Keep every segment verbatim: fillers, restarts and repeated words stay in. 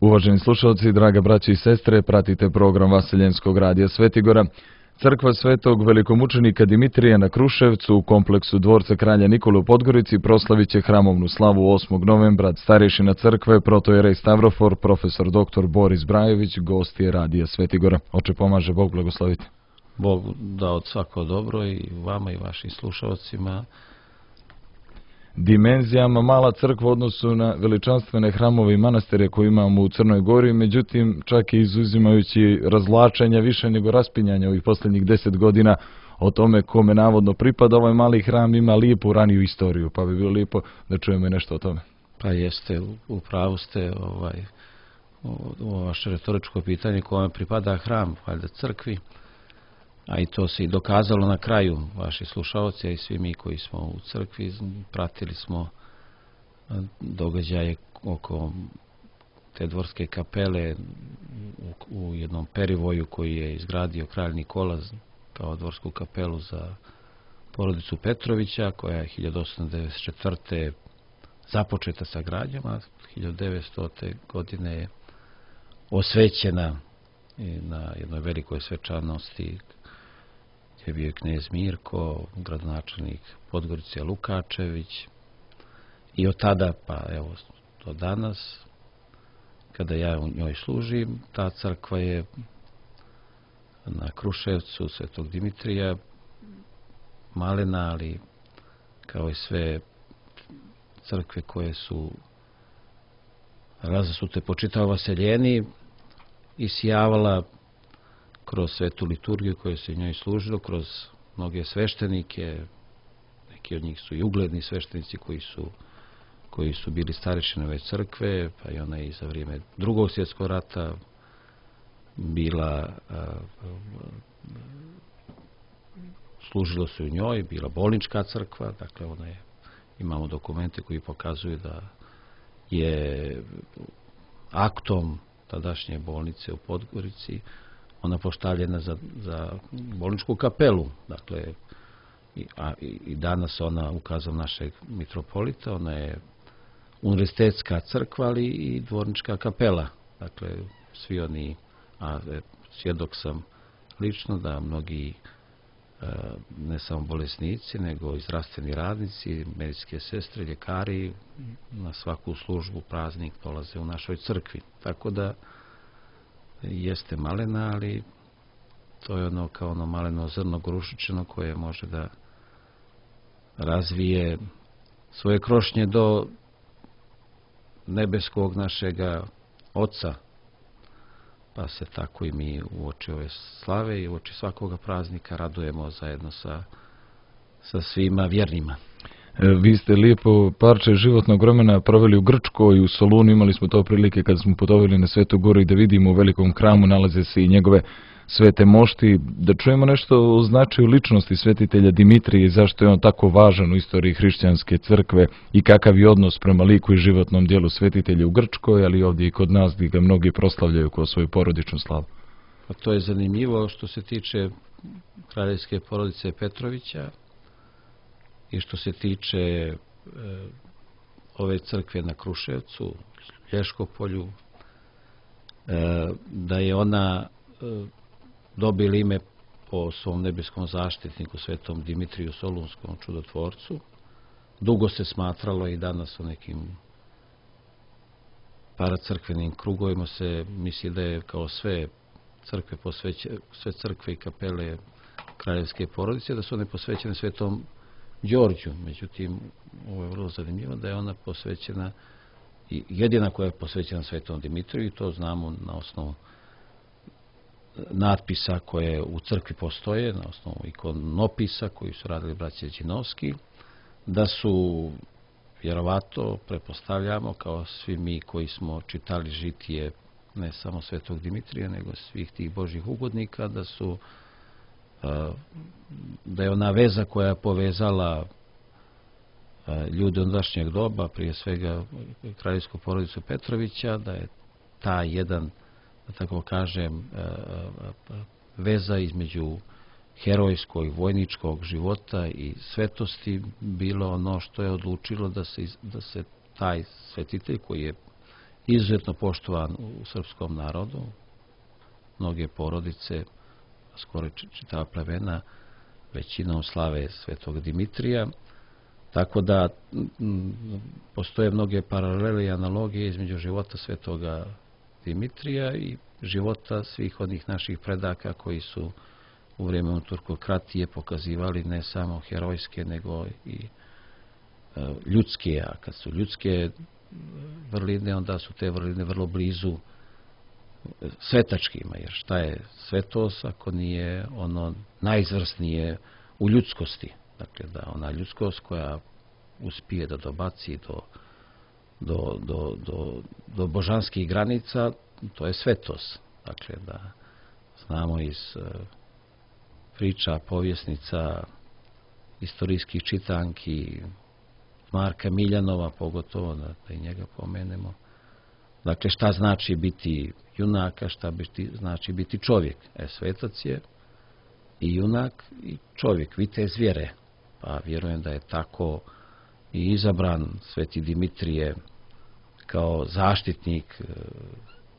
Uvaženi slušalci, draga braće i sestre, pratite program Vaseljenskog radija Svetigora. Crkva svetog velikomučenika Dimitrija na Kruševcu u kompleksu dvorca kralja Nikole u Podgorici proslavit će hramovnu slavu osmog novembra. Starješina crkve, protojerej Stavrofor, profesor doktor Boris Brajović, gost je radija Svetigora. Oče pomaže, Bog blagoslovite. Bog dao svako dobro i vama i vašim slušalcima. Dimenzijama mala crkva u odnosu na veličanstvene hramove i manastire koje imamo u Crnoj Gori, međutim čak i izuzimajući razvlačenja više nego raspinjanja ovih posljednjih deset godina o tome kome navodno pripada ovaj mali hram, ima lijepu raniju istoriju, pa bi bilo lijepo da čujemo i nešto o tome. Pa jeste, u pravu ste, ovaj, ovo vaše retoričko pitanje kome pripada hram, valjda crkvi, a i to se i dokazalo na kraju, vaši slušalci, a i svi mi koji smo u crkvi, pratili smo događaje oko te dvorske kapele u, u jednom perivoju koji je izgradio kralj Nikola kao dvorsku kapelu za porodicu Petrovića, koja je hiljadu osamsto devedeset četvrte započeta sa gradnjom, a hiljadu devetstote godine je osvećena na jednoj velikoj svečanosti, gdje je bio knez Mirko, gradonačelnik Podgorice Lukačević, i od tada pa evo do danas, kada ja u njoj služim, ta crkva je na Kruševcu svetog Dimitrija malena, ali kao i sve crkve koje su razasute po čitavoj Vaseljeni, isijavala kroz svetu liturgiju koje se njoj služilo, kroz mnoge sveštenike, neki od njih su i ugledni sveštenici koji su, koji su bili starešine ove crkve, pa i ona i za vrijeme Drugog svjetskog rata bila, a, a, služilo se u njoj, bila bolnička crkva, dakle ona je, imamo dokumente koji pokazuju da je aktom tadašnje bolnice u Podgorici ona postavljena za, za bolničku kapelu, dakle i, a, i danas ona, ukazom našeg mitropolita, ona je univerzitetska crkva, ali i dvornička kapela, dakle svi oni, a svjedok sam lično da mnogi ne samo bolesnici, nego i zdravstveni radnici, medicinske sestre, ljekari na svaku službu, praznik dolaze u našoj crkvi. Tako da jeste malena, ali to je ono kao ono maleno zrno grušičino koje može da razvije svoje krošnje do nebeskog našega Oca. Pa se tako i mi uoči ove slave i uoči svakoga praznika radujemo zajedno sa, sa svima vjernima. Vi ste lijepo parče životnog vremena proveli u Grčkoj i u Solunu. Imali smo to prilike kada smo putovali na Svetu Goru i da vidimo u velikom hramu nalaze se i njegove svete mošti. Da čujemo nešto o značaju ličnosti svetitelja Dimitrija i zašto je on tako važan u istoriji hrišćanske crkve i kakav je odnos prema liku i životnom dijelu svetitelja u Grčkoj, ali ovdje i kod nas gdje ga mnogi proslavljaju kao svoju porodičnu slavu. Pa to je zanimljivo što se tiče kraljevske porodice Petrovića i što se tiče e, ove crkve na Kruševcu, Lješkopolju, e, da je ona e, dobila ime po svom nebeskom zaštitniku svetom Dimitriju Solunskom čudotvorcu. Dugo se smatralo i danas u nekim paracrkvenim krugovima se misli da je kao sve crkve posveće, sve crkve i kapele kraljevske porodice, da su one posvećene svetom Đorđu. Međutim, ovo je vrlo zanimljivo da je ona posvećena i jedina koja je posvećena svetom Dimitriju, i to znamo na osnovu natpisa koje u crkvi postoje, na osnovu ikonopisa koji su radili braća Đinovski, da su vjerovato, pretpostavljamo, kao svi mi koji smo čitali žitije ne samo svetog Dimitrija, nego svih tih božjih ugodnika, da su da je ona veza koja je povezala ljude ondašnjeg doba, prije svega kraljevsku porodicu Petrovića, da je ta jedan, da tako kažem, veza između herojskog, vojničkog života i svetosti bilo ono što je odlučilo da se, da se taj svetitelj, koji je izuzetno poštovan u srpskom narodu. Mnoge porodice, skoro čitava plemena, većinom slave svetog Dimitrija. Tako da postoje mnoge paralele i analogije između života svetoga Dimitrija i života svih onih naših predaka koji su u vrijeme turkokratije pokazivali ne samo herojske, nego i ljudske. A kad su ljudske vrline, onda su te vrline vrlo blizu svetačkima, jer šta je svetost ako nije ono najizvrsnije u ljudskosti. Dakle, da ona ljudskost koja uspije da dobaci do, do, do, do, do božanskih granica, to je svetost. Dakle, da znamo iz priča, povjesnica, istorijskih čitanki, Marka Miljanova, pogotovo da, da i njega pomenemo. Dakle, šta znači biti junaka, šta biti, znači biti čovjek. E, svetac je i junak i čovjek, vitez vjere. Pa vjerujem da je tako i izabran sveti Dimitrije kao zaštitnik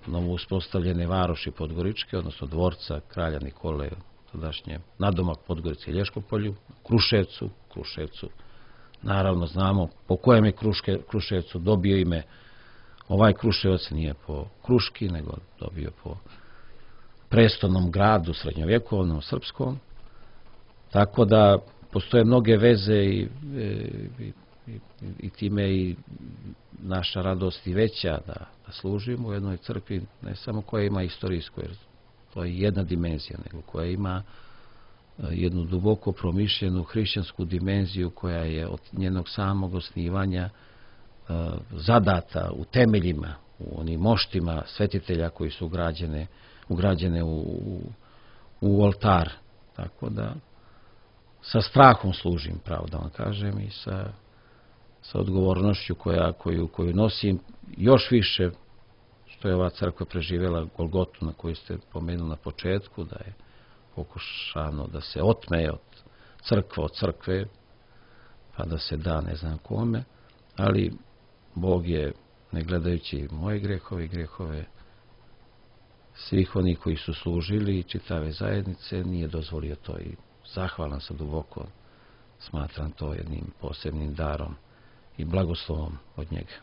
novo uspostavljene varoši Podgoričke, odnosno dvorca kralja Nikole, tadašnje nadomak Podgorice i Lješkopolju, Kruševcu, Kruševcu. Naravno znamo po kojem je Kruške, Kruševcu dobio ime. Ovaj Kruševac nije po Kruški, nego dobio po prestolnom gradu srednjovjekovnom srpskom. Tako da postoje mnoge veze i, i, i, i time i naša radost i veća da, da služimo u jednoj crkvi, ne samo koja ima istorijsku, jer to je jedna dimenzija, nego koja ima jednu duboko promišljenu hrišćansku dimenziju koja je od njenog samog osnivanja zadata u temeljima, u onim moštima svetitelja koji su ugrađene, ugrađene u, u, u oltar. Tako da sa strahom služim, pravo da vam kažem, i sa, sa odgovornošću koja, koju, koju nosim još više što je ova crkva preživjela Golgotu na koju ste pomenuli na početku, da je pokušano da se otme od crkve, od crkve, pa da se da ne znam kome, ali Bog je, ne gledajući moje grehove i grehove svih onih koji su služili i čitave zajednice, nije dozvolio to i zahvalan sam duboko, smatram to jednim posebnim darom i blagoslovom od njega.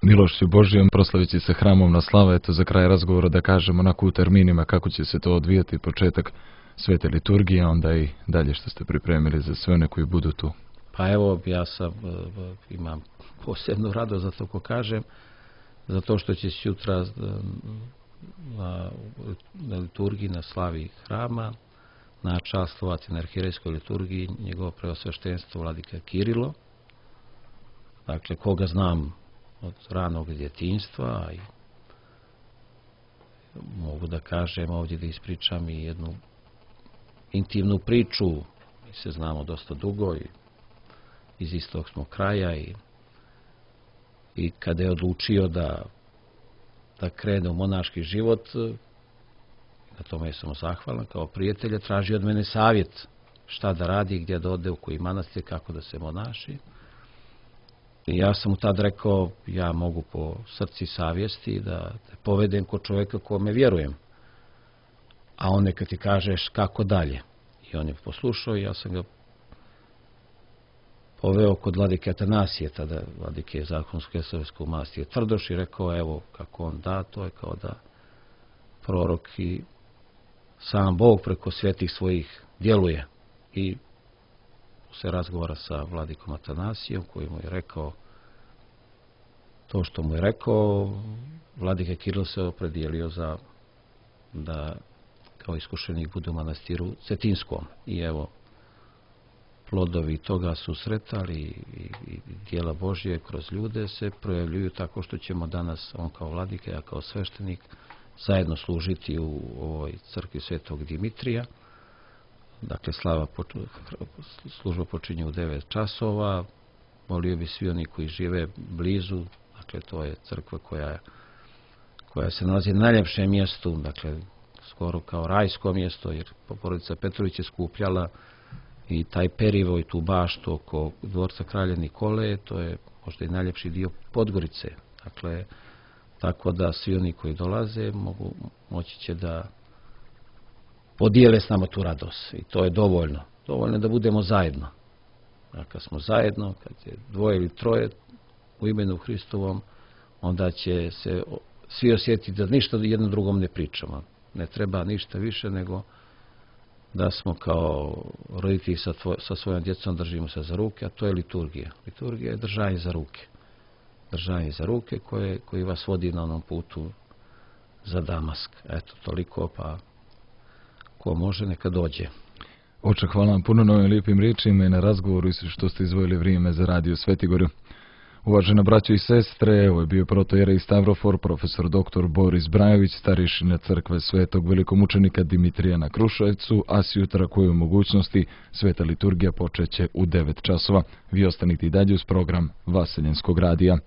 Milošću Božijom proslavit će se hramovna slava. Eto za kraj razgovora da kažemo onako u terminima kako će se to odvijati, početak svete liturgije, onda i dalje što ste pripremili za sve one koji budu tu. Pa evo, ja sam, imam posebnu radost za to ko kažem, zato što će se jutra na, na liturgiji, na slavi hrama, načastvovati na arhirejskoj liturgiji njegovo preosveštenstvo vladika Kirilo, dakle koga znam od ranog djetinjstva, i mogu da kažem ovdje da ispričam i jednu intimnu priču. Mi se znamo dosta dugo i iz istog smo kraja, i, i kada je odlučio da, da krene u monaški život, na tome sam mu zahvalan, kao prijatelja traži od mene savjet šta da radi, gdje da ode, u koji manastir, kako da se monaši. I ja sam mu tad rekao, ja mogu po srci savjesti da te povedem kod čovjeka kome vjerujem, a on neka ti kažeš kako dalje. I on je poslušao i ja sam ga poveo kod vladike Atanasije, tada vladike zakonsko-kesarskog mastije Tvrdoš, i rekao, evo kako on da, to je kao da prorok i sam Bog preko svetih svojih djeluje. I se razgovara sa vladikom Atanasijom, koji mu je rekao to što mu je rekao. Vladika Kiril se opredijelio za da kao iskušenik bude u manastiru Cetinskom. I evo, plodovi toga susreta i, i, i dijela Božje kroz ljude se projavljuju tako što ćemo danas, on kao vladika, ja kao sveštenik, zajedno služiti u ovoj crkvi svetog Dimitrija. Dakle, slava, služba počinje u devet časova. Molio bi svi oni koji žive blizu, dakle, to je crkva koja, koja se nalazi na najljepšem mjestu, dakle, skoro kao rajsko mjesto, jer porodica Petrović je skupljala i taj perivo i tu baštu oko dvorca kralja Nikole, to je možda i najljepši dio Podgorice. Dakle, tako da svi oni koji dolaze mogu, moći će da podijele s nama tu radost i to je dovoljno. Dovoljno da budemo zajedno. A kad smo zajedno, kad je dvoje ili troje u imenu Hristovom, onda će se svi osjetiti da ništa jedno drugom ne pričamo. Ne treba ništa više nego da smo kao roditelji sa, tvoj, sa svojom djecom držimo se za ruke, a to je liturgija. Liturgija je držanje za ruke. Držanje za ruke koje, koji vas vodi na onom putu za Damask. Eto, toliko, pa ko može neka dođe. Oče, hvala vam puno na ovim lijepim riječima i na razgovoru i što ste izdvojili vrijeme za radio Svetigoru. Uvažena braćo i sestre, ovo je bio protojerej Stavrofor, profesor doktor Boris Brajović, starješina crkve Svetog velikomučenika Dimitrija na Kruševcu, a sjutra koju mogućnosti sveta liturgija počeće u devet časova. Vi ostanite i dalje uz program Vaseljenskog radija.